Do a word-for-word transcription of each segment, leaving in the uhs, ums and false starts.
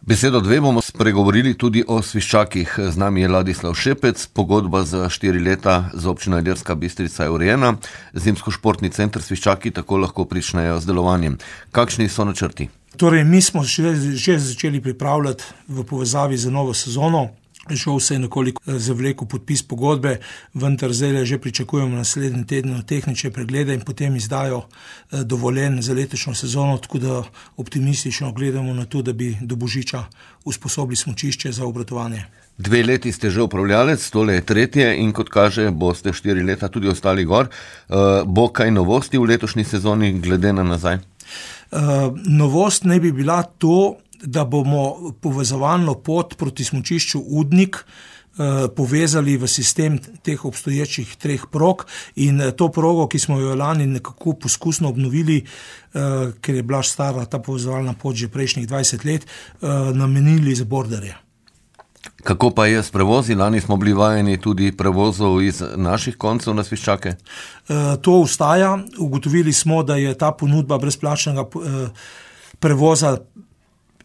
Besedo dve bomo spregovorili tudi o sviščakih. Z nami je Ladislav Šepec, pogodba za štiri leta z občino Ilirska Bistrica je urejena. Zimsko-športni center Sviščaki tako lahko pričnejo z delovanjem. Kakšni so načrti? Torej, mi smo že, že začeli pripravljati v povezavi z novo sezono. Žal se je nekoliko zavlekel podpis pogodbe, vendar zdaj že pričakujemo naslednji teden tehnične preglede in potem izdajo dovoljenj za letošnjo sezono, tako da optimistično gledamo na to, da bi do božiča usposobili smučišče za obratovanje. Dve leti ste že upravljalec, tole je tretje in kot kaže, boste štiri leta tudi ostali gor. Bo kaj novosti v letošnji sezoni glede na nazaj? Novost naj bi bila to, da bomo povezovalno pot proti smučišču Udnik eh, povezali v sistem teh obstoječih treh prog in to progo, ki smo jo lani nekako poskusno obnovili, eh, ker je bila stara ta povezovalna pot že prejšnjih dvajset let, eh, namenili za borderje. Kako pa je s prevozi? Lani smo bili vajeni tudi prevozov iz naših koncev na Sviščake. Eh, to ostaja. Ugotovili smo, da je ta ponudba brezplačnega eh, prevoza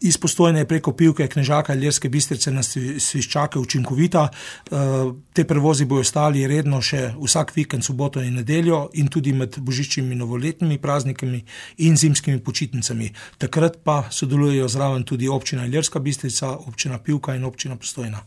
iz Postojne preko Pivke, Knežaka, Ilirske Bistrice na Sviščake učinkovita. Te prevozi bojo ostali redno še vsak vikend, soboto in nedeljo in tudi med božičnimi novoletnimi praznikami in zimskimi počitnicami. Takrat pa sodelujejo zraven tudi občina Ilirska Bistrica, občina Pivka in občina Postojna.